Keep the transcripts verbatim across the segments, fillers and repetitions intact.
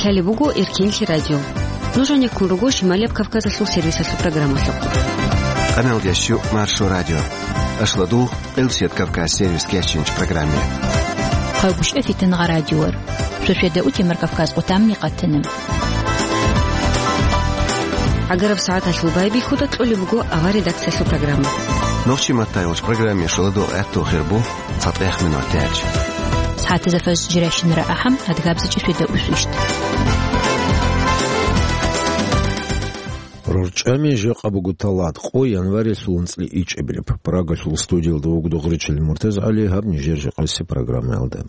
Лъалеб буго Эркенлъи радио. Нуж гьанеккун руго Шималияб Кавказалъул сервисалъул программалъухъ. Къаналдиясчу Маршо радио. Ашладул, Къилсият Кавказ сервис кечинч программе. Хъагушев Фитнагъа радиор. Шошеда утемар Кавказ къутамни къатана. ГӀагараб сагӀаталъул байбихьуда кьолеб буго авар редакциялъул программа. Нохчи матайулч программе шоладо гӀатту хирбу. ЦатӀехъ минут тяч. СагӀатазда фажр жирайщинара ахӀам, адгабзичӀи шведа усвищт. РорчӀами жакъа буго талат, къо январилъул анцӀли ичӀабилеб. Прагалъул студиялда вугода Гъречил МуртазгӀали, гьаб нижер жакъаси программаялда.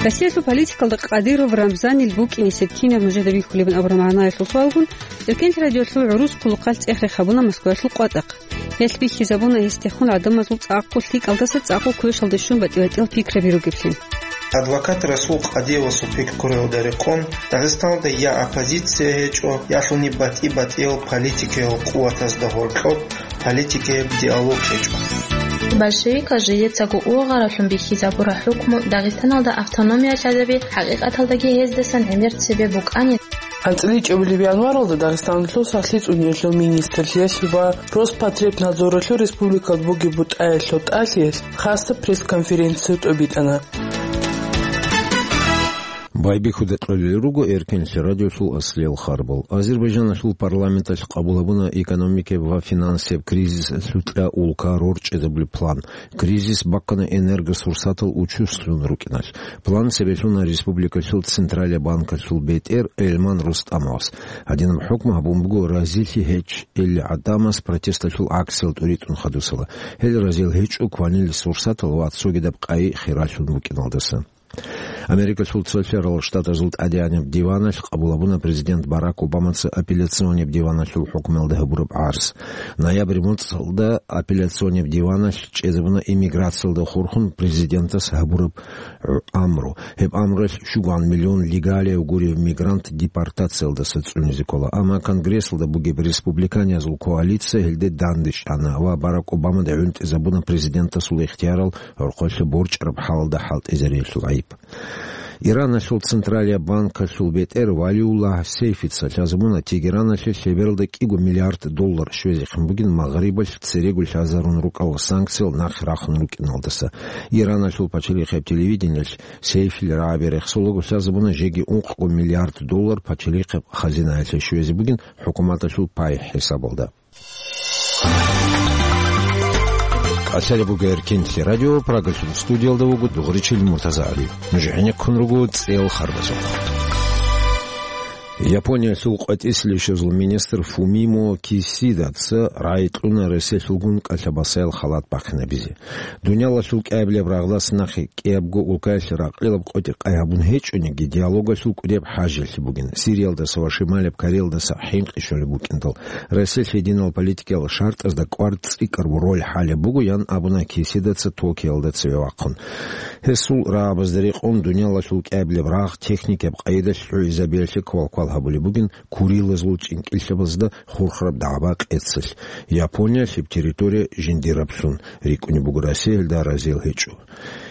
Россиялъул политикалда Кадыров Рамзанил букӀинесеб кинаб нужеда бихьулебин абураб магӀнаялъул суалгун, Эркенлъи радиолъул гӀурус хъулухъалъ цӀех-рех гьабуна Москваялъул къватӀахъ. Гьелъ бихьизабуна гьесдехун гӀадамазул цӀакъго лъикӀалдаса цӀакъго квешалде щун батӀи-батӀиял пикраби ругеблъи. Адвокат Расул Къадиевасул пикруялда рекъон, Дагъистаналда я оппозиция гьечӀо, ялъуни батӀи-батӀиял политикиял къуватазда гьоркьоб политикаяб диалог гьечӀо. Большевикал жидецаго ургъаралъун бихьизабураб хӀукму Дагъистаналда автономия лъазаби хӀакъикъаталдаги гьездасан гӀемер цебе букӀани. АнцӀила ичӀабилеб январалда Дагъистаналъул сахлъи цӀуниялъул министрлъиялъ ва Роспотребнадзоралъул республикалда бугеб бутӀаялъул тӀалъиялъ хасаб пресс-конференция тӀобитӀана. Байбихьуда кьолел руго Эркенлъи радиолъул аслиял харбал. Азербайджаналъул парламенталъ къабул гьабуна экономикияб ва финансияб кризисалъукьа улка рорчӀезабулеб план. Кризис баккана энергосурсатал учуслъун рукӀиналъ. План цебе лъуна республикалъул Централияб банкалъул бетӀер Эльман Рустамовас. Гьадинаб хӀукму гьабун буго разилъи гьечӀелли гӀадамаз протесталъул акциял тӀуритӀун хадусала. Гьел разил гьечӀо кванил сурсатал ва цогидаб къайи хиралъун букӀиналдаса. Америкалъул Цолъарал Штатазул ТӀадегӀанаб диваналъ къабул гьабуна президент Барак Обамаца апелляционниб диваналъул хӀукмуялда гьабураб гӀарз. Ноябрь моцӀалда апелляционниб диваналъ чӀезабуна иммиграциялда хурхун президентас гьабураб гӀу-, амру. Гьеб амруялъ щугуан миллион легалияв гурев мигрант депортациялдаса цӀунизе ккола. Амма Конгрессалда бугеб республиканиязул коалиция гьелде дандечӀана ва Барак Обамада гӀунтӀизабуна президентасул ихтиярал гӀорхъолъа борчӀараб хӀалалда хӀалтӀизариялъул гӀайиб. Ираналъул Централияб банкалъул бетӀер Валиуллагь Сейфица лъазабуна Тегераналъе лъебералда кӀиго миллиард доллар щвезехъин бугин Магърибалъ церего лъазарун рукӀарал санкциял нахъе рахун рукӀиналдаса. Ираналъул пачалихъеб телевидениялъ Сейфил рагӀаби рехсолаго лъазабуна жеги ункъго миллиард доллар пачалихъеб хазинаялъе щвезе бугин хӀукуматалъул пай хӀисабалда. КӀалъалеб буго Эркенлъи радио, Прагалъул студиялда вуго Дугъричил МуртазагӀали. Нуж гӀенеккун руго цӀел харбазухъ. Япониялъул къватӀислъищазул министр Фумимо Кисидаца рагӀи кьуна Россиялъулгун кӀалъабасаял халат бахъинабизе. Дуниялалъул кӀиабилеб рагъдас нахъе кӀиябго улкаялъе ракълилаб къотӀи къай гьабун гьечӀониги, диалогалъул кӀудияб хӀажалъи бугин. Сириялдаса ва Шималаб Кореялдаса хӀинкъи щолеб букӀиндал, Россиялъ гьединал политикиял шартӀазда кӀвар цӀикӀкӀараб роль хӀалеб буго, ян абуна Кисидаца Токиолда цеве вахъун. Гьесул рагӀабазда рекъон дуниялалъул кӀиабилеб рагъ техникияб къайдалъ гӀугӀизабиялъе квалквал гьабулеб бугин Курилазул чӀинкӀиллъабазда хурхараб дагӀба къецалъ, Япониялъ гьеб территория жиндираблъун рикӀкӀунеб буго, Россия гьелда разиял гьечӀо.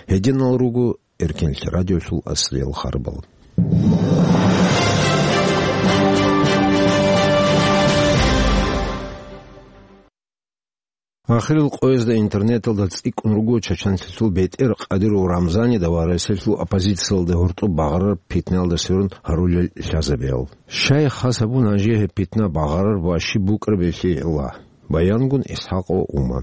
Гьединал руго Эркенлъи радиолъул аслиял харбал. Ахирил къоязда интернеталда цӀикӀкӀун руго чачанлъалъул бетӀер Къадиров Рамзанида ва Россиялъул оппозициялда гьоркьоб багъарараб питнаялда сверун гьарулел лъазабиял. Щай хас гьабун гьанже гьеб питна багъарараб ва щиб букӀараб гьелъие гӀилла? Баянгун ИсхӀакъова Ума.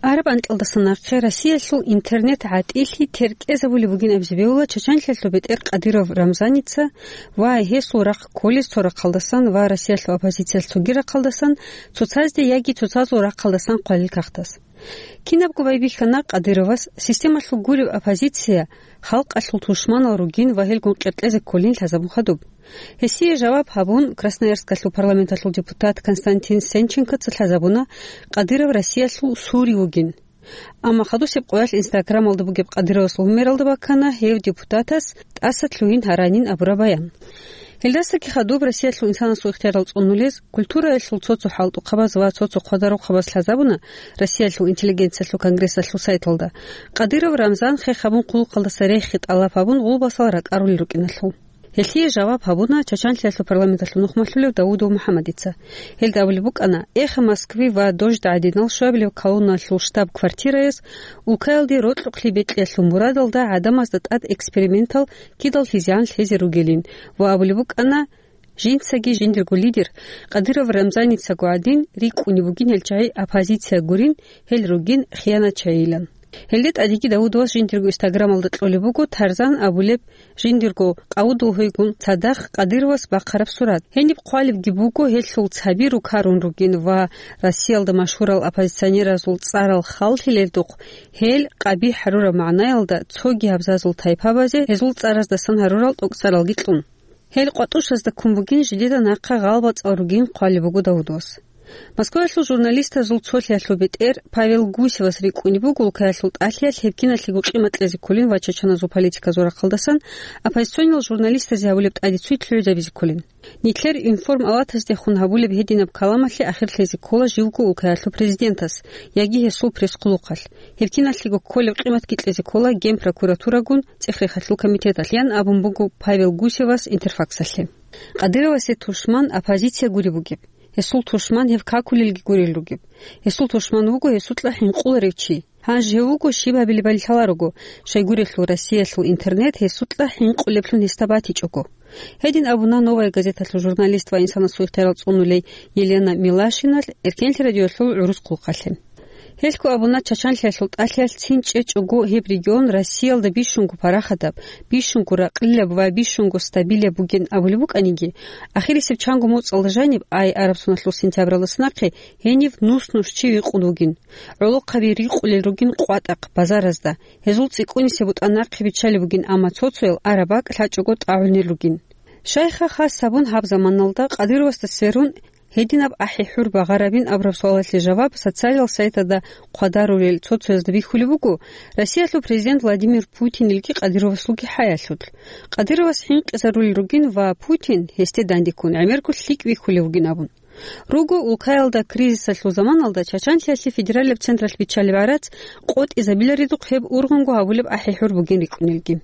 Араб анкьалдаса нахъе Россиялъул интернет гӀатӀилъи теркӀезабулеб бугин абизе бегьула чачанлъалъул бетӀер Къадиров Рамзаница ва гьесул рахъ кколез цо рахъалдасан ва Россиялъул оппозициялъ цоги рахъалдасан, цоцазде яги цоцазул рахъалдасан хъвалил кагътас. Кинабго байбихьана Къадыровас системалъул гуреб оппозиция халкъалъул тушманал ругин ва гьелгун къеркьезе кколин лъазабун хадуб. Гьесие жаваб гьабун, Красноярскалъул парламенталъул депутат Константин Сенченкоца лъазабуна, Къадыров Россиялъул сури вугин. Амма хадусеб къоялъ Инстаграмалда бугеб Къадыровасул гьумералда баккана гьев депутатас тӀаса лъугьин гьаранин абураб баян. Гьелдасаги хадуб Россиялъул инсанасул ихтиярал цӀунулез, культураялъул цо-цо хӀалтӀухъабаз ва цо-цо хъвадарухъабаз лъазабуна Россиялъул интеллигенциялъул конгрессалъул сайталда. Къадиров Рамзан хех гьабун хъулухъалдаса рехи тӀалаб гьабун гъулбасал ракӀарулел рукӀиналъул. Гьелъие жаваб гьабуна Чачанлъиялъул парламенталъул нухмалъулев Давудов МухӀаммадица. Гьелда абулеб букӀана, эхха Москви ва Дождь гӀадинал щвабилеб колонналъул штаб-квартираяс улкаялде рокьукълъи бекьиялъул мурадалда гӀадамазда тӀад экспериментал кидал хьизигӀан лъезе ругелин ва абулеб букӀана, жинцаги жиндирго лидер Къадиров Рамзаницаго гӀадин рикӀкӀунеб бугин гьел чагӀи оппозиция гурин, гьел ругин хиянатчагӀийилан. Гьелде тӀадеги Давудовас жиндирго Instagram-алда кьолеб буго Тарзан абулеб жиндирго къавудул гьуйгун цадахъ Къадировас бахъараб сурат. Гьениб хъвалебги буго гьелъул цаби рукарун ругин ва Россиялда машгьурал оппозиционеразул цӀарал халлъилелдухъ гьел къабихӀ гьарураб магӀнаялда цоги абзазул тайпабазе гьезул цӀараздасан гьарурал тӀокӀцӀаралги кьун. Гьел къватӀушазда ккун бугин, жидеда нахъа гъалбацӀал ругин хъвалеб буго Давудовас. Москваялъул журналистазул цолъиялъул бетӀер Павел Гусевас рикӀкӀунеб буго улкаялъул тӀалъиялъ гьеб киналъего къимат кьезе кколин ва чачаназул политиказул рахъалдасан оппозиционал журналистазе гьабулеб тӀадицуй лъугӀизабизе кколин. Нилъер информалатаздехун гьабулеб гьединаб каламалъе ахир лъезе ккола живго улкаялъул президентас яги гьесул пресс-хъулухъалъ. Гьеб киналъего кколеб къиматги кьезе ккола Генпрокуратурагун цӀех-рехалъул комитеталъ, ян абун буго Павел Гусевас Интерфаксалъе. Къадировасе тушман оппозиция гуреб бугеб. Гьесул тушман гьев какулелги гурел ругеб. Гьесул тушман вуго гьесукьа хӀинкъуларев чи. Гьанже гьев вуго щиб гьабилебали лъаларого, щайгурелъул Россиялъул интернет гьесукьа хӀинкъулеблъун гьесда батичӀого. Гьедин абуна «Новая газеталъул» журналист ва инсанасул ихтиярал цӀунулей Елена Милашиналъ Эркенлъи радиоялъул гӀурус хъулухъалъе. Гьелъго абуна, Чачанлъиялъул тӀалъиялъ цин чӀечӀого гьеб регион Россиялда бищунго парахатаб, бищунго ракълилаб ва бищунго стабилаб бугин абулеб букӀаниги, ахирисеб чанго моцӀалда жаниб, ай араб соналъул сентябралдаса нахъе, гьенив нус-нус чи викъун вугин. ГӀолохъаби рикъулел ругин къватӀахъ, базаразда, гьезул цӀикӀкӀунисеб бутӀа нахъе биччалеб бугин, амма цо-цоял араб бакӀ лъачӀого тӀагӀунел ругин. Щайха хас гьабун гьаб заманалда Къадировасда сверун гьединаб ахӀи-хӀур багъарабин абураб суалалъе жаваб социалал сайтазда хъвадарулел цо-цоязда бихьулеб буго, Россиялъул президент Владимир Путинилги Къадировасулги хӀаялъулъ. Къадировас хӀинкъизарулел ругин ва Путин, гьесде дандеккун, гӀемерго лъикӀ бихьулев вугин абун. Руго улкаялда кризисалъул заманалда Чачанлъиялъе федералияб централъ биччалеб гӀарац къотӀизабиларидухъ гьеб ургъунго гьабулеб ахӀи-хӀур бугин рикӀкӀунелги.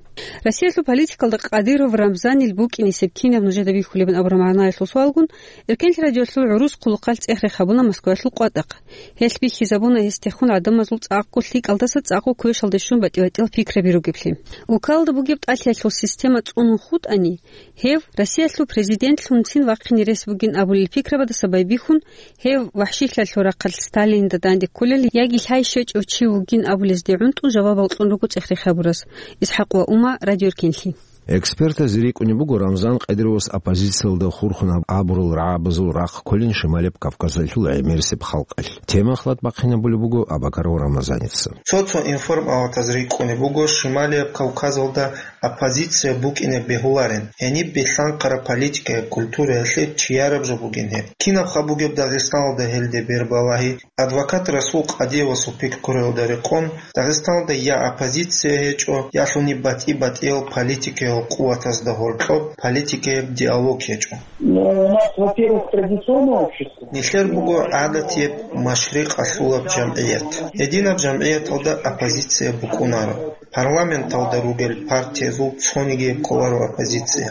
Россиялъул политикалда Къадиров Рамзанил букӀинисеб кинаб нужеда бихьулебин абураб магӀнаялъул суалгун, Эркенлъи радиоялъул гӀурус хъулухъалъ цӀех-рех гьабуна Москваялъул къватӀахъ. Гьелъ бихьизабуна гьесдехун гӀадамазул цӀакъго лъикӀалдаса цӀакъго квешалде щун батӀи-батӀиял пикраби ругеблъи. Улкаялда бугеб тӀалъиялъул система цӀунун хутӀани, гьев Россиялъул президентлъунцин вахъине рес бугин абулел пикрабаздаса байбихьун, гьев вахӀшилъиялъул рахъалъ Сталинда данде кколел яги лъай щвечӀев чи вугин абулезде гӀунтӀун жавабал кьун руго цӀех-рех гьабурас. ИсхӀакъ ва Ума, Радио Эркенлъи. Экспертаз рикӀкӀунеб буго Рамзан Къадировас оппозициялда хурхун гьаб-, гьабурал рагӀабазул рахъ кколин Шималияб Кавказалъул гӀемерисеб халкъалъ. Тема хьвад-бахъинабулеб буго Абакаров Рамазаница. Цо-цо информалатаз рикӀкӀунеб буго Шималияб Кавказалда оппозиция букӀине бегьуларин, гьениб билълъанхъараб политикаяб культураялъе чияраб жо бугин гьеб. Кинабха бугеб Дагъистаналда гьелде бербалагьи? Адвокат Расул Къадиевасул пикруялда рекъон, Дагъистаналда я оппозиция гьечӀо, ялъуни батӀи-батӀиял политикиял къуватазда гьоркьоб политикаяб диалог гьечӀо. Ну, у нас, во-первых, традиционное общество. Нилъер буго гӀадатияб машрикъалъулаб жамгӀият. Гьединаб жамгӀияталда оппозиция букӀунаро. Парламенталда ругел партиязул цонигияб кколаро оппозиция.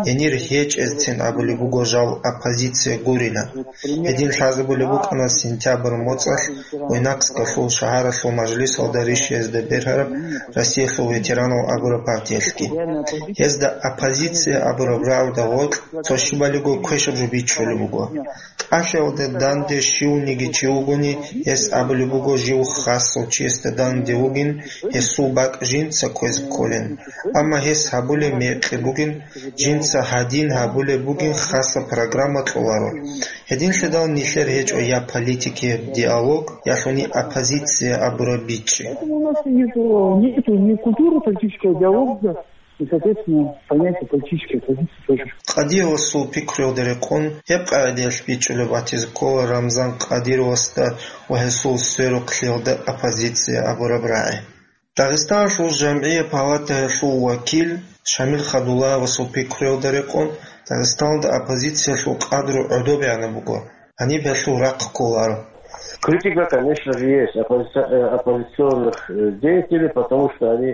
Гьенир гьечӀезцин абулеб буго жал оппозиция гурилан. Гьедин лъазабулеб букӀана сентябрь моцӀалъ Буйнакскалъул шагьаралъул мажлисалда ришиязда бергьараб Россиялъул ветеранал абураб партиялъги. Гьезда оппозиция абураб рагӀуда гъоркь цо щибалиго квешаб жо бичӀчӀулеб буго. ТӀалъиялда данде щивниги чи вугони, гьес абулеб буго жив хасав чиясда данде вугин, гьесул бакӀ жинца кквезе кколин. Амма гьес гьабулеб мекъи бугин, жинца гьадин гьабулеб бугин хасаб программа кьоларо. Гьединлъидал нилъер гьечӀо я политикияб диалог, ялъуни оппозиция абураб бичӀчӀи. Поэтому у нас нету, нету ни культуры политического диалога, и, соответственно, понятие политической оппозиции тоже. Къадиевасул пикруялда рекъон, гьеб къагӀидаялъ бичӀчӀулеб батизе ккола Рамзан Къадировасда ва гьесул сверухълъиялда оппозиция абураб рагӀи. Дагъистаналъул жамгӀия палатаялъул вакил Шамил Хадуллаевасул пикруялда рекъон, Дагъистаналда оппозициялъул къадру гӀодобегӀанаб буго, гьаниб гьелъул рахъ кколаро. Критика, конечно же, есть оппозиция-, э, оппозиционных, э, деятелей, потому что они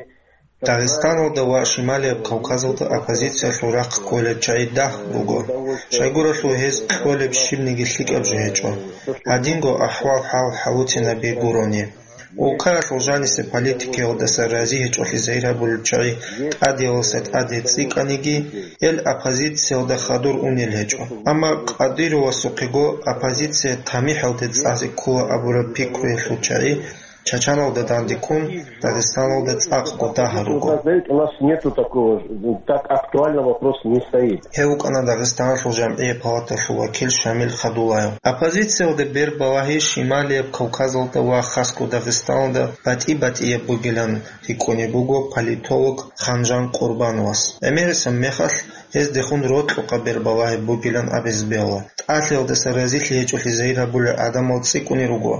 Дагъистаналда ва Шималияб Кавказалда оппозициялъул рахъ кколел чагӀи дагь руго. Щайгурелъул гьез кьолеб щибниги лъикӀаб жо гьечӀо. Гьадинго ахӀвал-хӀал хӀалуцинабе гурони. Улкаялъул жанисе политикаялдаса рази гьечӀолъи загьир гьабулел чагӀи тӀадеялдаса тӀаде цӀикӀкӀаниги, гьел оппозициялда хадур унел гьечӀо. Амма Кадыровасухъего оппозиция тамихӀалде цӀазе ккола абураб пикруялъул чагӀи Чачаналда данде ккун, Дагъистаналда цӀакъго дагьа руго. У нас нету такого, так актуально вопрос не стоит. Гьев вукӀана Дагъистаналъул жамгӀияб палаталъул вакил Шамил Хадулаев. Оппозициялда бербалагьи Шималияб Кавказалда ва хасго Дагъистаналда батӀи-батӀияб бугилан рикӀкӀунеб буго политолог Ханжан Къурбановас. ГӀемерисеб мехалъ гьездехун рокьукъа бербалагьи бугилан абизе бегьула. ТӀалъиялдаса разилъи гьечӀолъи загьир гьабулел гӀадамал цӀикӀкӀунел руго.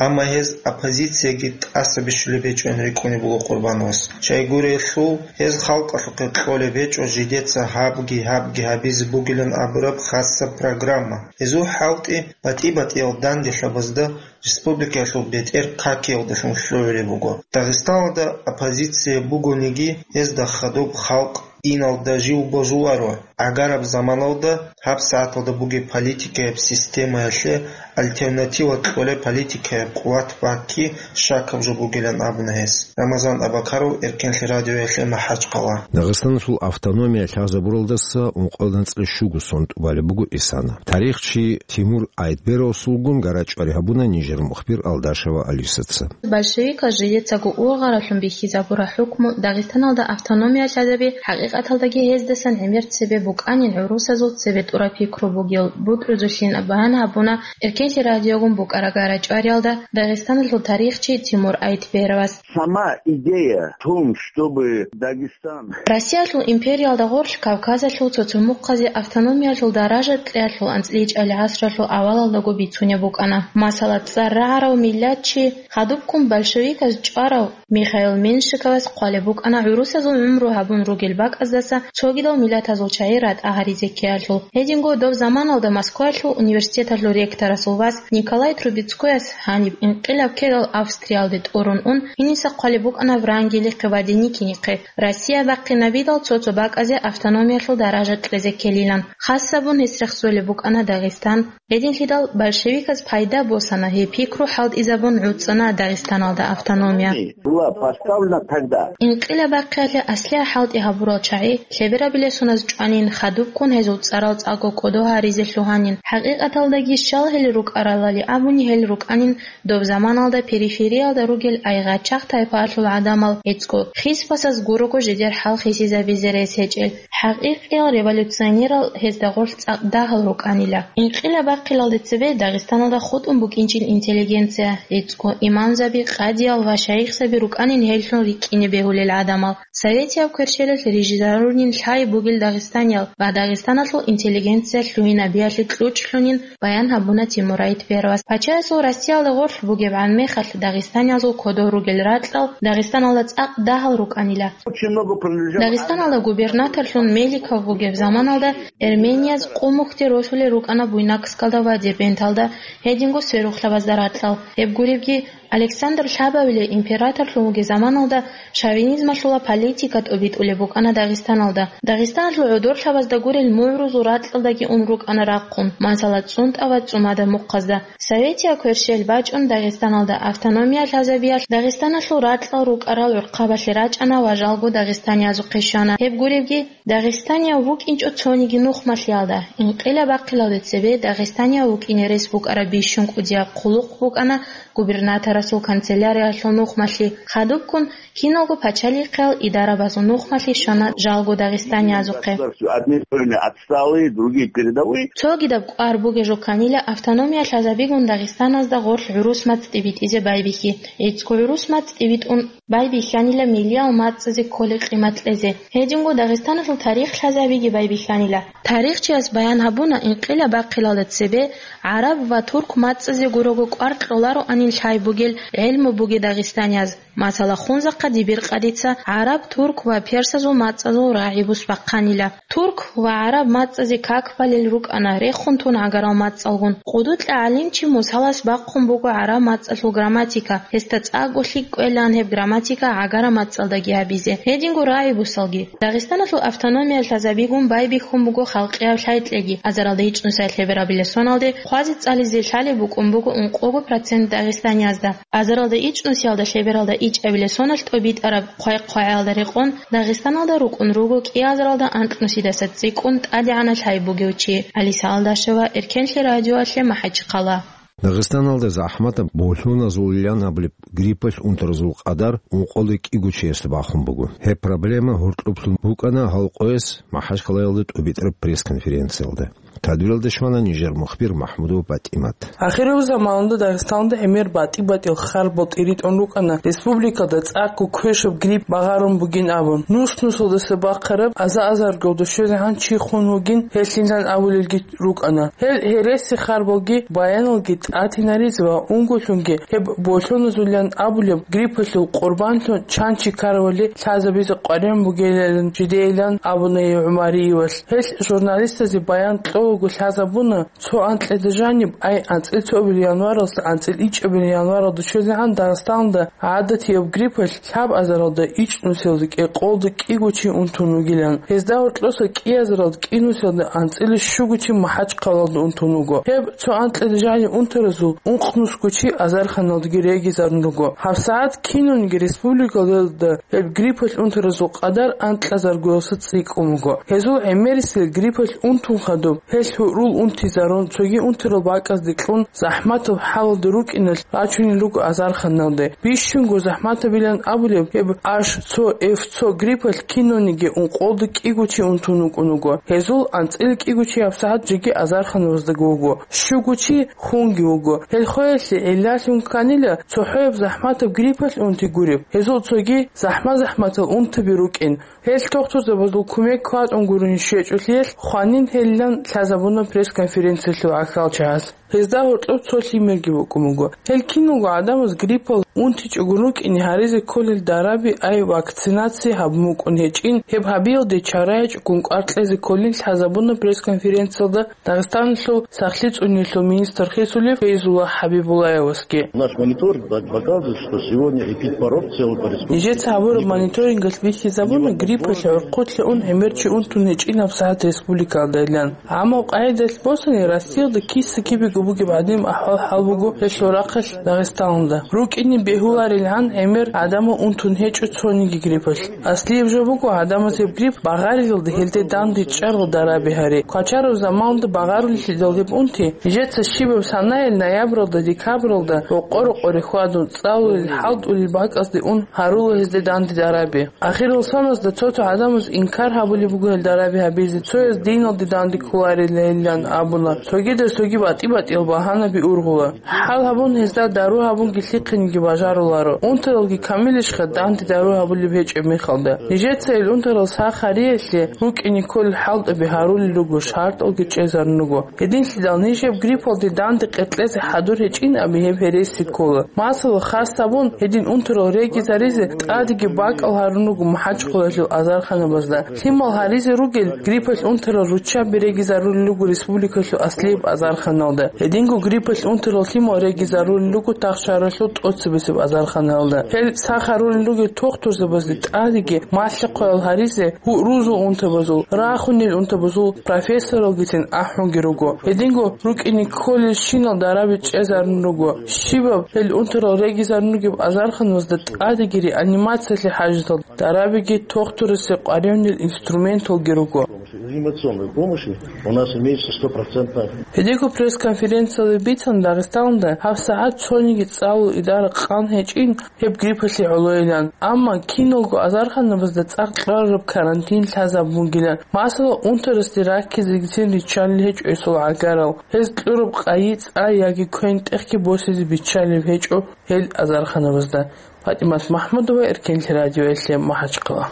Амма гьез оппозицияги тӀаса бищулеб гьечӀоян рикӀкӀунеб буго Къурбановас. Щайгурелъул гьез халкъалъухъе кьолеб гьечӀо жидеца гьабги-гьабги гьабизе бугилан абураб хасаб программа. Гьезул хӀалтӀи батӀи-батӀиял данделъабазда республикаялъул бетӀер какиялдалъун лъугӀулеб буго. Дагъистаналда оппозиция бугониги, гьезда хадуб халкъ иналда жив божуларо. ГӀагараб заманалда гьабсагӀаталда бугеб политикаяб системаялъе альтернатива кьолеб политикаяб къуват бакки щакаб жо бугилан абуна гьес. Рамазан Абакаров, Эркенлъи радиоялъе, МахӀачхъала. Дагъистаналъул автономия лъазабуралдаса ункъоялда анцӀила щуго сон тӀубалеб буго исана. Тарихчи Тимур Айтберовасулгун гарачӀвари гьабуна нижер мухбир Алдашева Алисаца. Большевиказ жидецаго ургъаралъун бихьизабураб хӀукму Дагъистаналда автономия лъазаби хӀакъикъаталдаги гьездасан гӀемер цебе букӀанин гӀурусазул цебетӀураб пикру бугел бутӀрузулъин баян гьабуна Эркенлъи радиогун букӀараб гарачӀвариялда Дагъистаналъул тарихчи Тимур Айтберовас. Сама идея в том, чтобы Дагестан Россиялъул империялда гъорлъ Кавказалъул цо-цо мухъазе автономиялъул даража кьеялъул анцӀила гӀасралъул авалалдаго бицунеб букӀана. Масала, цӀар рагӀарав миллатчи, хадубккун большевиказ чӀварав Михаил Меньшиковас хъвалеб букӀана гӀурусазул гӀумру гьабун ругел бакӀаздаса цогидал миллатазул чагӀи ратӀа гьаризе ккеялъул. Гьединго доб заманалда Москваялъул университеталъул ректорасул вас Николай Трубецкояс гьаниб инкъилаб ккелал Австриялде тӀурун ун, гьениса хъвалеб букӀана Врангелихъе ва Деникинихъе, Россия бахъинабидал цо-цо бакӀазе автономиялъул даража кьезе ккелилан. Хас гьабун гьес рехсолеб букӀана Дагъистан. Гьединлъидал большевиказ пайда босана, гьеб пикру хӀалтӀизабун гӀуцӀана Дагъистаналда автономия. Была поставлена тогда. Инкъилаб бахъиялъе аслияб хӀалтӀи гьабурал чагӀи, лъеберабилеб соназ чӀванин, хадубккун гьезул цӀарал цӀакъго кӀодо гьаризе лъугьанин. ХӀакъикъаталдаги щал гьел рукӀаралали абуни гьел рукӀанин, доб заманалда перифериялда ругел айгъачагъ тайпаялъул гӀадамал гьецӀго, хисбасаз гурого жидер хӀал хисизабизе рес гьечӀел. ХӀакъикъиял революционерал гьезда гъорлъ цӀакъ дагьал рукӀанила. Инкъилаб бахъиналде цебе Дагъистаналда хутӀун букӀинчӀел интеллигенция, гьецӀго имамзаби, къадиял ва шайихзаби рукӀанин гьеллъун рикӀкӀине бегьулел гӀадамал. Советияб кверщелалъ рижизарунин лъай бугел дагъистаниял ва Дагъистаналъул интеллигенция лъугьинабиялъе кьучӀлъунин баян гьабуна Тимур Айтберовас. Пачаясул Россиялда гъорлъ бугебгӀан мехалъ дагъистаниязул кодов ругел ракьал Дагъистаналда цӀакъ дагьал рукӀанила. Очень много принадлежало Дагъистаналда губернаторлъун Меликов вугеб заманалда эрменияз Къумухде росулел рукӀана Буйнакскалда ва Дербенталда, гьединго сверухълъабазда ракьал. Гьеб гуребги, Александр Лъабавилев императорлъун вугеб заманалда шовинизмалъула политика тӀобитӀулеб букӀана Дагъистаналда. Дагъистаналъул гӀодорлъабазда гурел мугӀрузул ракьалдаги ун рукӀана рахъун, масала, ЦӀунтӀа ва ЦӀумада мухъазда. Советияб кверщел бачӀун Дагъистаналда автономия лъазабиялъ Дагъистаналъул ракьал рукӀарал гӀурхъабалъе рачӀана ва жалго дагъистаниязухъе щвана. Гьеб гуребги, дагъистанияв вукӀинчӀо цониги нухмалъиялда, инкъилаб бахъиналде цебе дагъистанияв вукӀине рес букӀараб бищун кӀудияб хъулухъ букӀана губернаторасул канцеляриялъул нухмалъи, хадубккун киналго пачалихъиял идарабазул нухмалъи щвана жалго дагъистаниязухъе. Государство, одни стороны отсталые, другие передовые. Цогидаб кӀвар бугеб жо кканила автономия лъазабигун Дагъистаназда гъорлъ гӀурус мацӀ тӀибитӀизе байбихьи. ГӀицӀго гӀурус мацӀ тӀибитӀун байбихьанила миллиял мацӀазе кколеб къимат кьезе. Гьединго Дагъистаналъул тарих лъазабиги байбихьанила. Тарихчияс баян гьабуна, инкъилаб бахъиналда цебе гӀараб ва турк мацӀазе гурого кӀвар кьолароанин лъай бугел гӀелму буги дагъистанияз. Масала, Хунзахъа Дибиркъадица гӀараб, турк ва персазул мацӀазул рагӀи бусбахъанила. Турк ва гӀараб мацӀазе как балел рукӀана, рехун тун гӀагарал мацӀалгун. КъудукьагӀалимчи Мусалас бахъун буго гӀараб мацӀалъул грамматика, гьесда цӀакъго лъикӀ кӀвелаан гьеб грамматика гӀагараб мацӀалдаги гьабизе. Гьединго рагӀи бусалги. Дагъистаналъул автономия лъазабигун байбихьун буго халкъияб лъай-кьеги. Азаралда ичӀнусиялъе берабилеб соналде хъвази-цӀализе лъалеб букӀун буго ункъого процент дагъистаниязда. Азаралда ичӀнусиялда лъебералда ичӀабилеб соналъ тӀобитӀараб хъвай-хъвагӀаялда рекъон Дагъистаналда рукӀун руго кӀиазаралда анкьнусидаса цӀикӀкӀун тӀадегӀанав лъай бугев чи. Алиса Алдашева, Эркенлъи радиоялъе, МахӀачхъала. Дагъистаналда захӀматаб болъоназулилан абулеб гриппалъ унтаразул къадар ункъоялда кӀиго чиясда бахун буго. Гьеб проблема гьоркьоблъун букӀана гьал къояс МахӀачхъалаялда тӀубитӀараб пресс-конференциялда. Тадбиралда щвана нижер мухбир МахӀмудова ПатӀимат. Ахирав заманалда Дагъистаналда гӀемер батӀи-батӀиял харбал тӀиритӀун рукӀана республикалда цӀакъго квешаб грипп багъарун бугин абун. Нус-нусалдаса бахъараб аза-азарго душезегӀан чи хун вугин гьелъилан абулелги рукӀана. Гьел гьереси харбалги баяналги тӀатинаризе ва ункуллъунги гьеб болъоназулилан абулеб гриппалъул къурбанлъун чан чи ккаравали лъазабизе къваригӀун бугилан жидейилан абуна гьев ГӀумариевалъ. Гьелъ журналистазе баян кьолаго лъазабуна, цо анкьида жаниб, ай, анцӀил цоабилеб январалдаса анцӀил ичӀабилеб январалда щвезегӀан Дагъистаналда гӀадатияб гриппалъ лъабазаралда ичӀнусиялда кӀикъоялда кӀиго чи унтун вугилан. Гьезда гьоркьоса кӀиазаралда кӀинусиялда анцӀила щуго чи МахӀачхъалаялда унтун вуго. Гьеб цо анкьида жаниб унтаразул ункънусго чи азарханалдаги регизарун руго. ГьабсагӀат кинабниги республикалда гьеб гриппалъ унтаразул къадар анкьазаргоялдаса цӀикӀкӀун буго. Гьезул гӀемерисел гриппалъ унтун хадуб, гьелъ гьурул унтизарун, цоги унтарал бакӀазде кьун, захӀматаб хӀалалда рукӀиналъ рачунел руго азарханалде. Бищунго захӀматабилан абулеб гьеб Аш цо эф цо гриппалъ кинабниги ункъоялда кӀиго чи унтун вукӀун вуго. Гьезул анцӀила кӀиго чи гьабсагӀат жеги азарханабаздаго вуго, щуго чи хунги вуго. Гьел хвеялъе гӀиллалъун кканила цохӀояб захӀматаб гриппалъ унти гуреб. Гьезул цоги захӀма-захӀматал унтаби рукӀин. Гьел тухтурзабазул кумек кватӀун гурони щвечӀолъиялъ хванин гьелилан лъазабуна пресс-конференциялъул гӀахьалчагӀаз. Гьезда гьоркьоб цо лъимерги букӀун буго. Гьел киналго гӀадамаз гриппал унтичӀого рукӀине гьаризе кколел дараби, ай, вакцинация гьабун букӀун гьечӀин, гьеб гьабиялде чара гьечӀогун кӀвар кьезе кколин лъазабуна пресс-конференциялда Дагъистаналъул сахлъи цӀуниялъул министр хисулев Фейзулла ХӀабибуллаевасги. Наш мониторинг пок-, показывает, что сегодня эпидпорог в целом по республике. Нижеца гьабураб мониторингалъ бихьизабуна, гриппалъ гӀурхъулъе ун гӀемер чи унтун гьечӀин гьабсагӀат республикалдайилан. Амма къайдалъ босани, Россиялда киса-кибего бугеб гӀадин ахӀвал-хӀал буго гьелъул рахъалъ Дагъистаналда. РукӀине бегьуларилгӀан гӀемер гӀадамал унтун гьечӀо цониги гриппалъ. Аслияб жо буго, гӀадамаз гьеб грипп багъарилалда гьелде данде чӀарал дараби гьари. Квачараб заманалда багъарулелъидал гьеб унти, нижеца щибаб санаялъ ноябралда, декабралда рокъо-рокъоре хьвадун, цӀалулел, хӀалтӀулел бакӀазде ун гьарула гьезде данде дараби. Ахирал саназда цо-цо гӀадамаз инкар гьабулеб буго гьел дараби гьабизе, цояз диналде данде кколарилан абуна, цогидаз цоги батӀи-батӀиял багьанаби ургъула. ХӀал гьабун, гьезда дару гьабунги лъихъинеги бажаруларо. Унтаралги камилищха данде дару гьабулеб гьечӀеб мехалда? Нижеца ил унтарал сахариялъе рукӀине кколел хӀалтӀаби гьарулел руго, шартӀалги чӀезарун руго. Гьединлъидал нижеб гриппалде данде къеркьезе хӀадур гьечӀин абе гьеб гьереси ккола. Масала, хас гьабун, гьедин унтарал регизаризе тӀадеги бакӀал гьарун руго МахӀачхъалаялъул азарханабазда. Лъимал гьаризе ругел гриппалъ унтарал руччаби регизарулел руго республикалъул аслияб азарханалда. Гьединго гриппалъ унтарал лъимал регизарулел руго тахшаралъул тӀоцебесеб азарханалда. Гьел сахарулел ругел тухтурзабазде тӀадеги малъа-хъваял гьаризе гьурузул унтабазул, рахунел унтабазул профессоралгицин ахӀунги руго. Гьединго рукӀине кколелщинал дараби чӀезарун руго. Щибаб гьел унтарал регизарун ругеб азарханазда тӀадеги реанимациялъе хӀажатал дарабиги тухтурасе къваригӀунел инструменталги руго. Реанимационной помощи у нас имеется стопроцентная. Гьединго пресс-конференциялда бицана, Дагъистаналда гьабсагӀат цониги цӀалул идара къан гьечӀин гьеб гриппалъе гӀолойилан, амма киналго азарханабазда цӀакъ кьвараб карантин лъазабун бугилан. Масала, унтарасде раккизегицин риччалел гьечӀо гьесул гӀагарал. Гьез кьураб къайи цӀа яги квен-тӀехги босизе биччалеб гьечӀо гьел азарханабазда. ПатӀимат МахӀмудова, Эркенлъи радиоялъе, МахӀачхъала.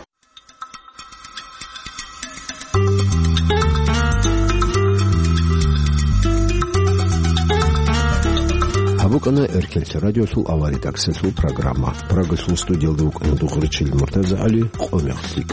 БукӀана Эркелте радиосул авария таксилъул программа. Прагалъул студиялда вукӀана Дугъричил МуртазагӀали, къо мехлъи.